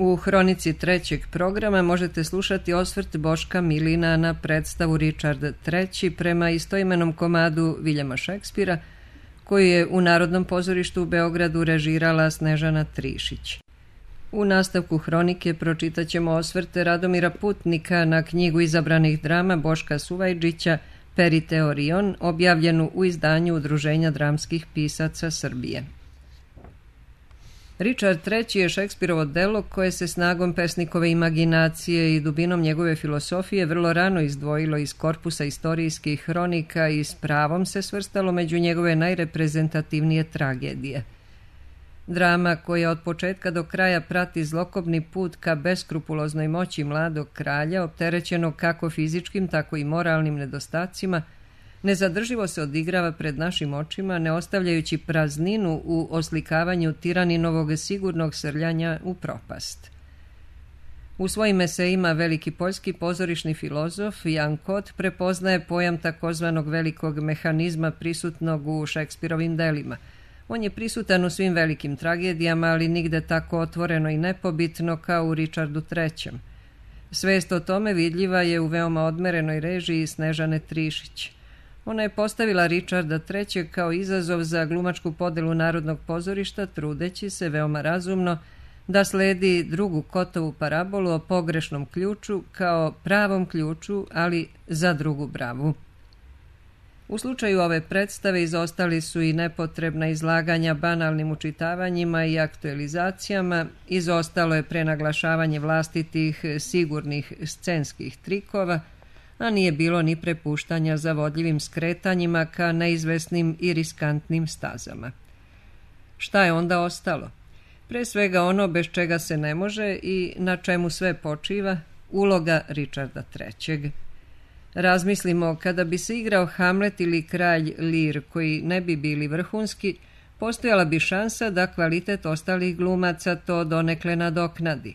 U hronici trećeg programa možete slušati osvrt Boška Milina na predstavu Richard III prema istoimenom komadu Viljama Šekspira, koji je u Narodnom pozorištu u Beogradu režirala Snežana Trišić. U nastavku hronike pročitat ćemo osvrte Radomira Putnika na knjigu izabranih drama Boška Suvajđića Periteorion, objavljenu u izdanju Udruženja dramskih pisaca Srbije. Richard III je Šekspirovo delo koje se snagom pesnikove imaginacije i dubinom njegove filosofije vrlo rano izdvojilo iz korpusa istorijskih hronika i s pravom se svrstalo među njegove najreprezentativnije tragedije. Drama koja od početka do kraja prati zlokobni put ka beskrupuloznoj moći mladog kralja, opterećenog kako fizičkim, tako i moralnim nedostacima, nezadrživo se odigrava pred našim očima, ne ostavljajući prazninu u oslikavanju tiraninovog sigurnog srljanja u propast. U svojim esejima veliki poljski pozorišni filozof Jan Kot prepoznaje pojam takozvanog velikog mehanizma prisutnog u Šekspirovim delima. On je prisutan u svim velikim tragedijama, ali nigde tako otvoreno i nepobitno kao u Richardu III. Svest o tome vidljiva je u veoma odmerenoj režiji Snežane Trišić. Ona je postavila Richarda III kao izazov za glumačku podelu Narodnog pozorišta, trudeći se veoma razumno da sledi drugu Kotovu parabolu o pogrešnom ključu kao pravom ključu, ali za drugu bravu. U slučaju ove predstave izostali su i nepotrebna izlaganja banalnim učitavanjima i aktualizacijama, izostalo je prenaglašavanje vlastitih sigurnih scenskih trikova, a nije bilo ni prepuštanja zavodljivim skretanjima ka neizvesnim i riskantnim stazama. Šta je onda ostalo? Pre svega ono bez čega se ne može i na čemu sve počiva, uloga Richarda III. Razmislimo, kada bi se igrao Hamlet ili Kralj Lir, koji ne bi bili vrhunski, postojala bi šansa da kvalitet ostalih glumaca to donekle nadoknadi.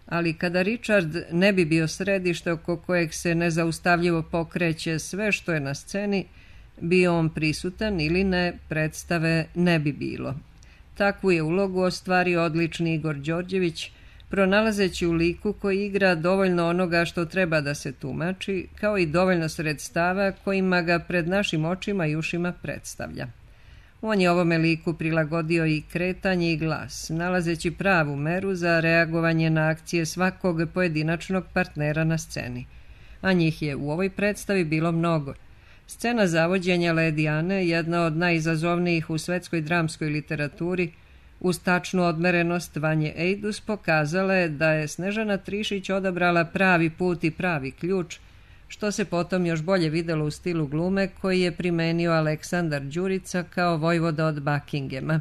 Ali kada Richard ne bi bio središte oko kojeg se nezaustavljivo pokreće sve što je na sceni, bio on prisutan ili ne, predstave ne bi bilo. Takvu je ulogu ostvario odlični Igor Đorđević, pronalazeći u liku koji igra dovoljno onoga što treba da se tumači, kao i dovoljno sredstava kojima ga pred našim očima i ušima predstavlja. On je ovome liku prilagodio i kretanje i glas, nalazeći pravu meru za reagovanje na akcije svakog pojedinačnog partnera na sceni. A njih je u ovoj predstavi bilo mnogo. Scena zavođenja Lady Ane, jedna od najizazovnijih u svetskoj dramskoj literaturi, uz tačnu odmerenost Vanje Ejdus pokazala je da je Snežana Trišić odabrala pravi put i pravi ključ, što se potom još bolje videlo u stilu glume koji je primenio Aleksandar Đurica kao vojvoda od Buckinghama.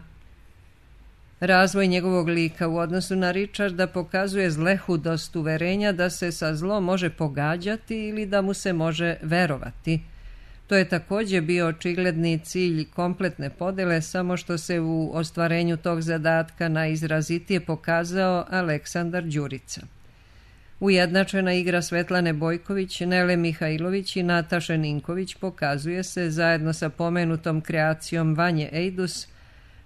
Razvoj njegovog lika u odnosu na Richarda pokazuje zlehudost uverenja da se sa zlom može pogađati ili da mu se može verovati. To je također bio očigledni cilj kompletne podele, samo što se u ostvarenju tog zadatka najizrazitije pokazao Aleksandar Đurica. Ujednačena igra Svetlane Bojković, Nele Mihajlović i Nataše Ninković pokazuje se, zajedno sa pomenutom kreacijom Vanje Ejdus,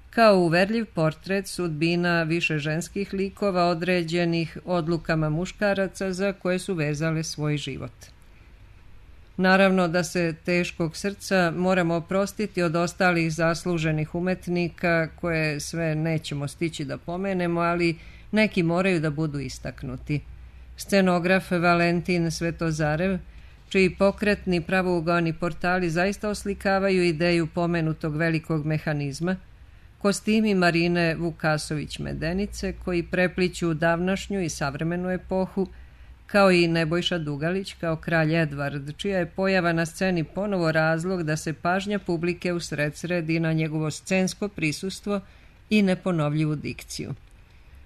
kao uverljiv portret sudbina više ženskih likova određenih odlukama muškaraca za koje su vezale svoj život. Naravno da se teškog srca moramo oprostiti od ostalih zasluženih umetnika, koje sve nećemo stići da pomenemo, ali neki moraju da budu istaknuti. Scenograf Valentin Svetozarev, čiji pokretni pravougaoni portali zaista oslikavaju ideju pomenutog velikog mehanizma, kostimi Marine Vukasović-Medenice, koji prepliću davnašnju i savremenu epohu, kao i Nebojša Dugalić kao kralj Edvard, čija je pojava na sceni ponovo razlog da se pažnja publike usredsredi na njegovo scensko prisustvo i neponovljivu dikciju.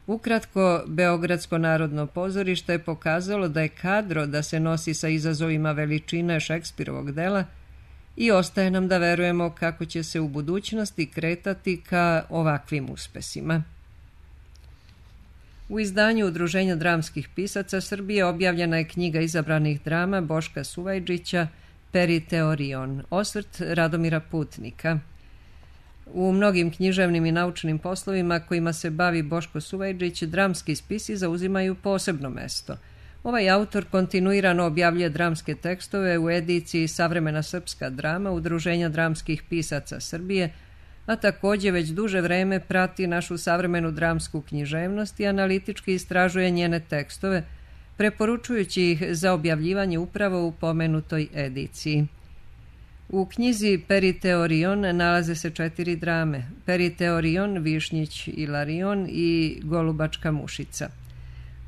Ukratko, Beogradsko narodno pozorište je pokazalo da je kadro da se nosi sa izazovima veličine Šekspirovog dela i ostaje nam da verujemo kako će se u budućnosti kretati ka ovakvim uspesima. U izdanju Udruženja dramskih pisaca Srbije objavljena je knjiga izabranih drama Boška Suvajđića Periteorion, osvrt Radomira Putnika. U mnogim književnim i naučnim poslovima kojima se bavi Boško Suvajđić, dramski spisi zauzimaju posebno mesto. Ovaj autor kontinuirano objavljuje dramske tekstove u ediciji Savremena srpska drama Udruženja dramskih pisaca Srbije, a također već duže vreme prati našu savremenu dramsku književnost i analitički istražuje njene tekstove, preporučujući ih za objavljivanje upravo u pomenutoj ediciji. U knjizi Periteorion nalaze se 4 drame: Periteorion, Višnjić Ilarion i Golubačka mušica.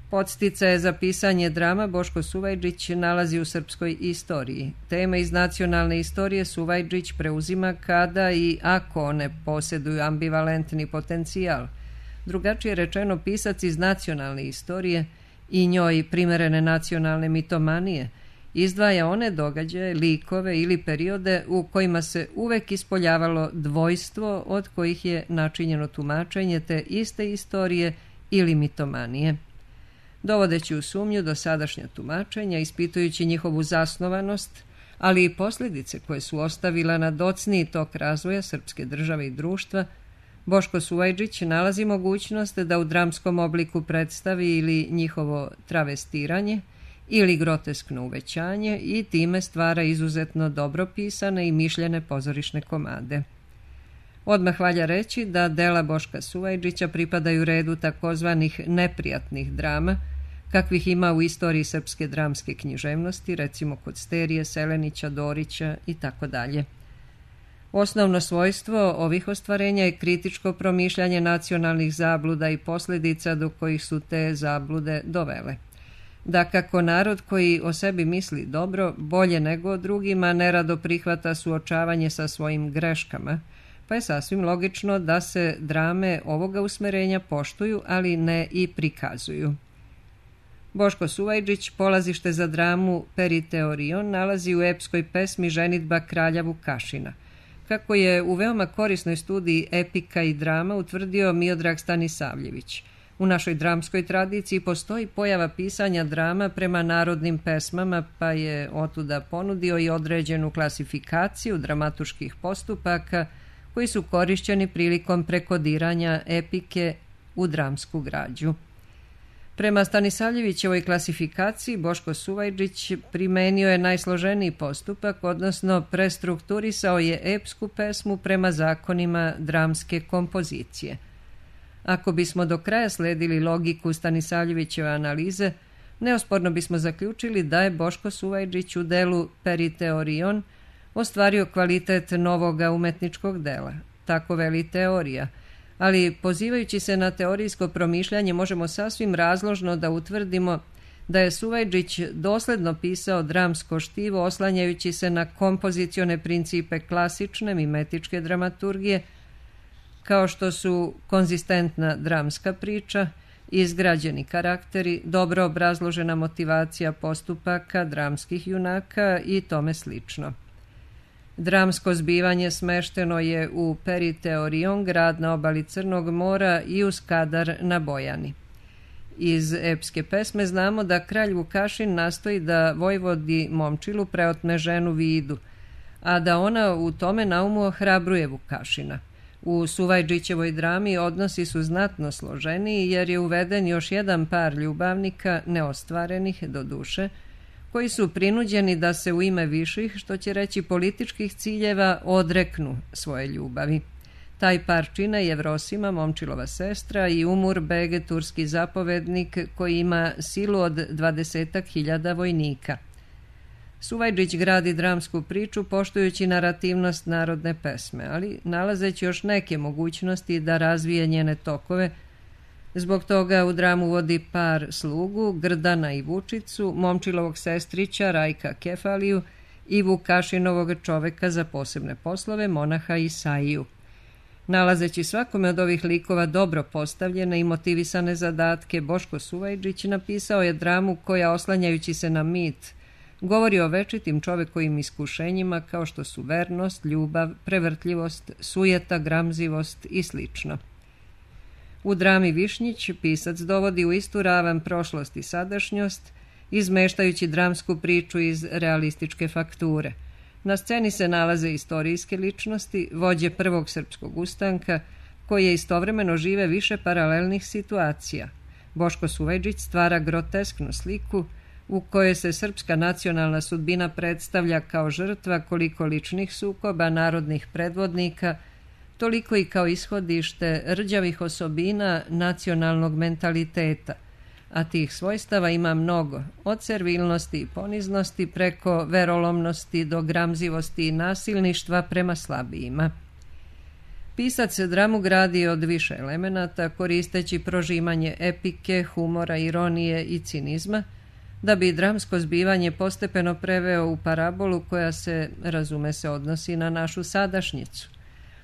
Podsticaje za pisanje drama Boško Suvajđić nalazi u srpskoj istoriji. Teme iz nacionalne istorije Suvajđić preuzima kada i ako one posjeduju ambivalentni potencijal. Drugačije rečeno, pisac iz nacionalne istorije i njoj primerene nacionalne mitomanije izdvaja one događaje, likove ili periode u kojima se uvek ispoljavalo dvojstvo od kojih je načinjeno tumačenje te iste istorije ili mitomanije. Dovodeći u sumnju dosadašnja tumačenja, ispitujući njihovu zasnovanost, ali i posljedice koje su ostavila na docniji tok razvoja srpske države i društva, Boško Suvajđić nalazi mogućnost da u dramskom obliku predstavi ili njihovo travestiranje ili groteskno uvećanje i time stvara izuzetno dobro pisane i mišljene pozorišne komade. Odmah valja reći da dela Boška Suvajđića pripadaju redu takozvanih neprijatnih drama, kakvih ima u istoriji srpske dramske književnosti, recimo kod Sterije, Selenića, Dorića itd. Osnovno svojstvo ovih ostvarenja je kritičko promišljanje nacionalnih zabluda i posljedica do kojih su te zablude dovele. Da kako narod koji o sebi misli dobro, bolje nego o drugima, nerado prihvata suočavanje sa svojim greškama, pa je sasvim logično da se drame ovoga usmerenja poštuju, ali ne i prikazuju. Boško Suvajđić polazište za dramu Periteorion nalazi u epskoj pesmi Ženidba kralja Vukašina. Kako je u veoma korisnoj studiji epika i drama utvrdio Miodrag Stanisavljević, u našoj dramskoj tradiciji postoji pojava pisanja drama prema narodnim pesmama, pa je otuda ponudio i određenu klasifikaciju dramaturških postupaka koji su korišćeni prilikom prekodiranja epike u dramsku građu. Prema Stanisavljevićevoj klasifikaciji Boško Suvajđić primenio je najsloženiji postupak, odnosno prestrukturisao je epsku pesmu prema zakonima dramske kompozicije. Ako bismo do kraja sledili logiku Stanisavljevićeve analize, neosporno bismo zaključili da je Boško Suvajđić u delu Periteorion ostvario kvalitet novoga umetničkog dela. Tako veli teorija, ali pozivajući se na teorijsko promišljanje možemo sasvim razložno da utvrdimo da je Suvajđić dosledno pisao dramsko štivo oslanjajući se na kompozicione principe klasične mimetičke dramaturgije, kao što su konzistentna dramska priča, izgrađeni karakteri, dobro obrazložena motivacija postupaka dramskih junaka i tome slično. Dramsko zbivanje smešteno je u Periteorion, grad na obali Crnog mora, i u Skadar na Bojani. Iz epske pesme znamo da kralj Vukašin nastoji da vojvodi Momčilu preotme ženu Vidu, a da ona u tome naumu ohrabruje Vukašina. U Suvajđićevoj drami odnosi su znatno složeniji jer je uveden još jedan par ljubavnika, neostvarenih do duše, koji su prinuđeni da se u ime viših, što će reći političkih ciljeva, odreknu svoje ljubavi. Taj par čine Jevrosima, Momčilova sestra, i Umur Bege, turski zapovednik koji ima silu od 20.000 vojnika. Suvajđić gradi dramsku priču poštujući narativnost narodne pesme, ali nalazeći još neke mogućnosti da razvije njene tokove. Zbog toga u dramu vodi par slugu, Grdana i Vučicu, Momčilovog sestrića Rajka Kefaliju i Vukašinovog čoveka za posebne poslove, monaha Isaiju. Nalazeći svakome od ovih likova dobro postavljene i motivisane zadatke, Boško Suvajđić napisao je dramu koja, oslanjajući se na mit, govori o večitim čovekovim iskušenjima kao što su vernost, ljubav, prevrtljivost, sujeta, gramzivost i slično. U drami Višnjić pisac dovodi u istu ravan prošlost i sadašnjost, izmeštajući dramsku priču iz realističke fakture. Na sceni se nalaze istorijske ličnosti, vođe prvog srpskog ustanka, koje istovremeno žive više paralelnih situacija. Boško Suvajđić stvara grotesknu sliku u kojoj se srpska nacionalna sudbina predstavlja kao žrtva koliko ličnih sukoba narodnih predvodnika, toliko i kao ishodište rđavih osobina nacionalnog mentaliteta, a tih svojstava ima mnogo, od servilnosti i poniznosti preko verolomnosti do gramzivosti i nasilništva prema slabijima. Pisac dramu gradi od više elemenata, koristeći prožimanje epike, humora, ironije i cinizma, da bi dramsko zbivanje postepeno preveo u parabolu koja se, razume se, odnosi na našu sadašnjicu.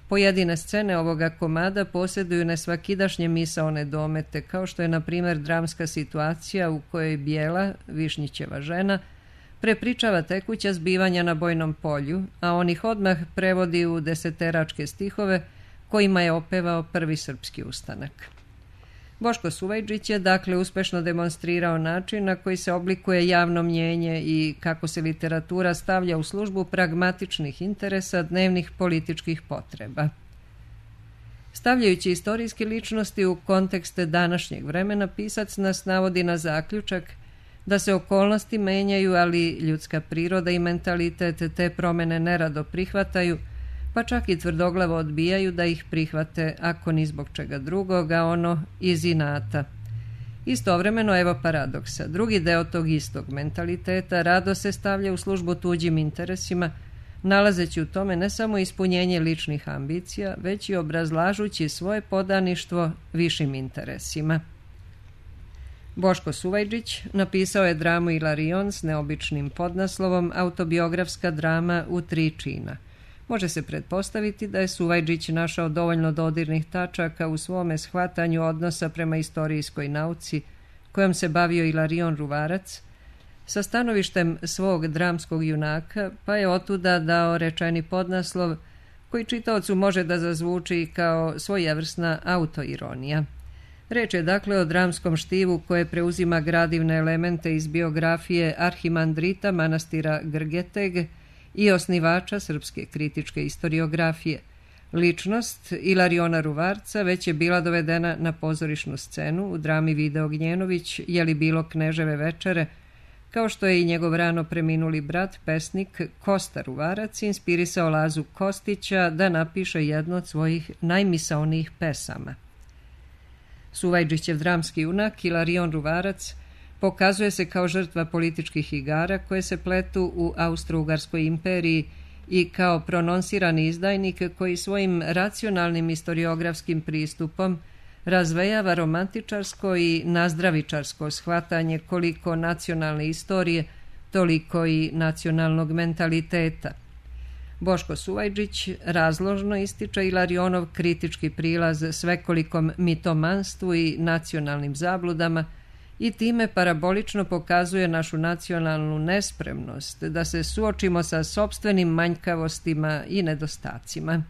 Pojedine scene ovoga komada posjeduju nesvakidašnje misaone domete, kao što je, na primjer, dramska situacija u kojoj Bijela, Višnjićeva žena, prepričava tekuća zbivanja na bojnom polju, a on ih odmah prevodi u deseteračke stihove kojima je opevao prvi srpski ustanak. Boško Suvajđić je dakle uspešno demonstrirao način na koji se oblikuje javno mnjenje i kako se literatura stavlja u službu pragmatičnih interesa dnevnih političkih potreba. Stavljajući istorijske ličnosti u kontekste današnjeg vremena, pisac nas navodi na zaključak da se okolnosti menjaju, ali ljudska priroda i mentalitet te promene nerado prihvataju, pa čak i tvrdoglavo odbijaju da ih prihvate, ako ni zbog čega drugoga, ono iz inata. Istovremeno, evo paradoksa, drugi deo tog istog mentaliteta rado se stavlja u službu tuđim interesima, nalazeći u tome ne samo ispunjenje ličnih ambicija, već i obrazlažući svoje podaništvo višim interesima. Boško Suvajđić napisao je dramu Ilarion s neobičnim podnaslovom Autobiografska drama u 3 čina. Može se pretpostaviti da je Suvajđić našao dovoljno dodirnih tačaka u svome shvatanju odnosa prema istorijskoj nauci, kojom se bavio Ilarion Ruvarac, sa stanovištem svog dramskog junaka, pa je otuda dao rečeni podnaslov koji čitaocu može da zazvuči kao svojevrsna autoironija. Reč je dakle o dramskom štivu koje preuzima gradivne elemente iz biografije arhimandrita manastira Grgeteg i osnivača srpske kritičke istoriografije. Ličnost Ilariona Ruvarca već je bila dovedena na pozorišnu scenu u drami Video Gnjenović Je li bilo kneževe večere, kao što je i njegov rano preminuli brat, pesnik Kosta Ruvarac, inspirisao Lazu Kostića da napiše jednu od svojih najmisaonijih pesama. Suvajđićev dramski junak Ilarion Ruvarac pokazuje se kao žrtva političkih igara koje se pletu u Austro-Ugarskoj imperiji i kao prononsirani izdajnik koji svojim racionalnim istoriografskim pristupom razvejava romantičarsko i nazdravičarsko shvatanje koliko nacionalne istorije, toliko i nacionalnog mentaliteta. Boško Suvajđić razložno ističe Ilarionov kritički prilaz svekolikom mitomanstvu i nacionalnim zabludama i time parabolično pokazuje našu nacionalnu nespremnost da se suočimo sa sopstvenim manjkavostima i nedostacima.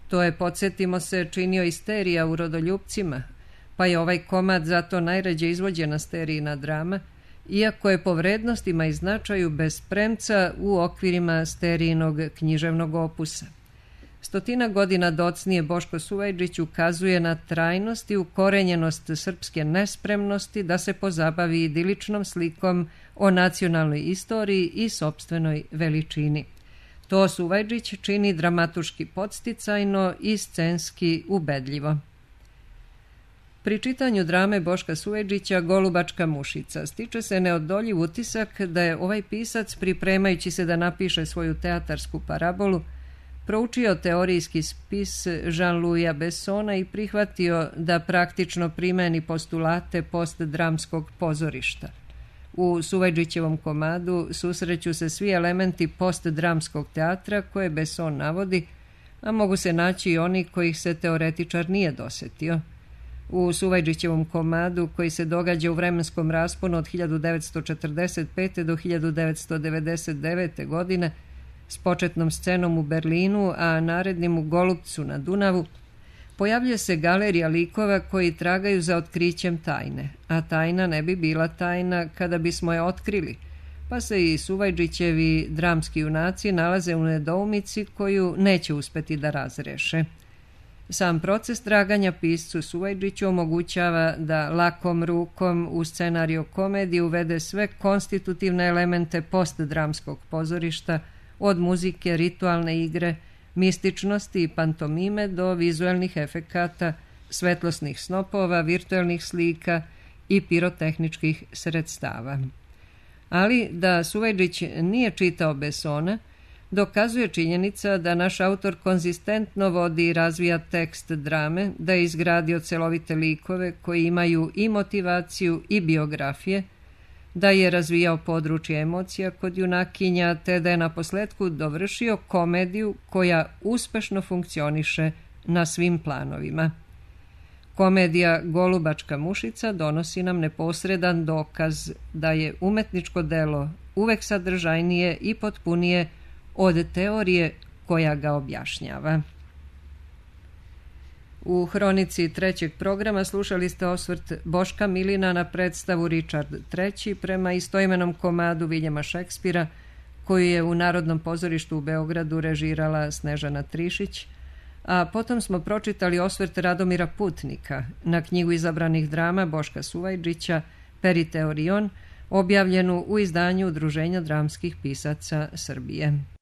To je, podsjetimo se, činio isterija u Rodoljupcima, pa je ovaj komad zato najređe izvođena sterijina drama, iako je po vrednostima i značaju bez premca u okvirima sterijinog književnog opusa. 100 godina docnije Boško Suvajđić ukazuje na trajnost i ukorenjenost srpske nespremnosti da se pozabavi idiličnom slikom o nacionalnoj istoriji i sopstvenoj veličini. To Suvajđić čini dramatuški podsticajno i scenski ubedljivo. Pri čitanju drame Boška Suvajđića Golubačka mušica stiče se neodoljiv utisak da je ovaj pisac, pripremajući se da napiše svoju teatarsku parabolu, proučio teorijski spis Jean-Louisa Bessona i prihvatio da praktično primeni postulate postdramskog pozorišta. U Suvajđićevom komadu susreću se svi elementi postdramskog teatra koje Besson navodi, a mogu se naći i oni kojih se teoretičar nije dosetio. U Suvajđićevom komadu, koji se događa u vremenskom rasponu od 1945. do 1999. godine, s početnom scenom u Berlinu, a narednim u Golupcu na Dunavu, pojavljuje se galerija likova koji tragaju za otkrićem tajne, a tajna ne bi bila tajna kada bismo je otkrili, pa se i Suvajđićevi dramski junaci nalaze u nedoumici koju neće uspeti da razreše. Sam proces traganja piscu Suvajđiću omogućava da lakom rukom u scenariju komedije uvede sve konstitutivne elemente postdramskog pozorišta, od muzike, ritualne igre, mističnosti i pantomime do vizuelnih efekata, svetlosnih snopova, virtuelnih slika i pirotehničkih sredstava. Ali da Suvajđić nije čitao Bessona, dokazuje činjenica da naš autor konzistentno vodi i razvija tekst drame, da je izgradio celovite likove koji imaju i motivaciju i biografije, da je razvijao područje emocija kod junakinja, te da je naposletku dovršio komediju koja uspešno funkcioniše na svim planovima. Komedija Golubačka mušica donosi nam neposredan dokaz da je umetničko delo uvek sadržajnije i potpunije od teorije koja ga objašnjava. U hronici trećeg programa slušali ste osvrt Boška Milina na predstavu Ričard III prema istoimenom komadu Viljema Šekspira, koju je u Narodnom pozorištu u Beogradu režirala Snežana Trišić, a potom smo pročitali osvrt Radomira Putnika na knjigu izabranih drama Boška Suvajđića Periteorion, objavljenu u izdanju Udruženja dramskih pisaca Srbije.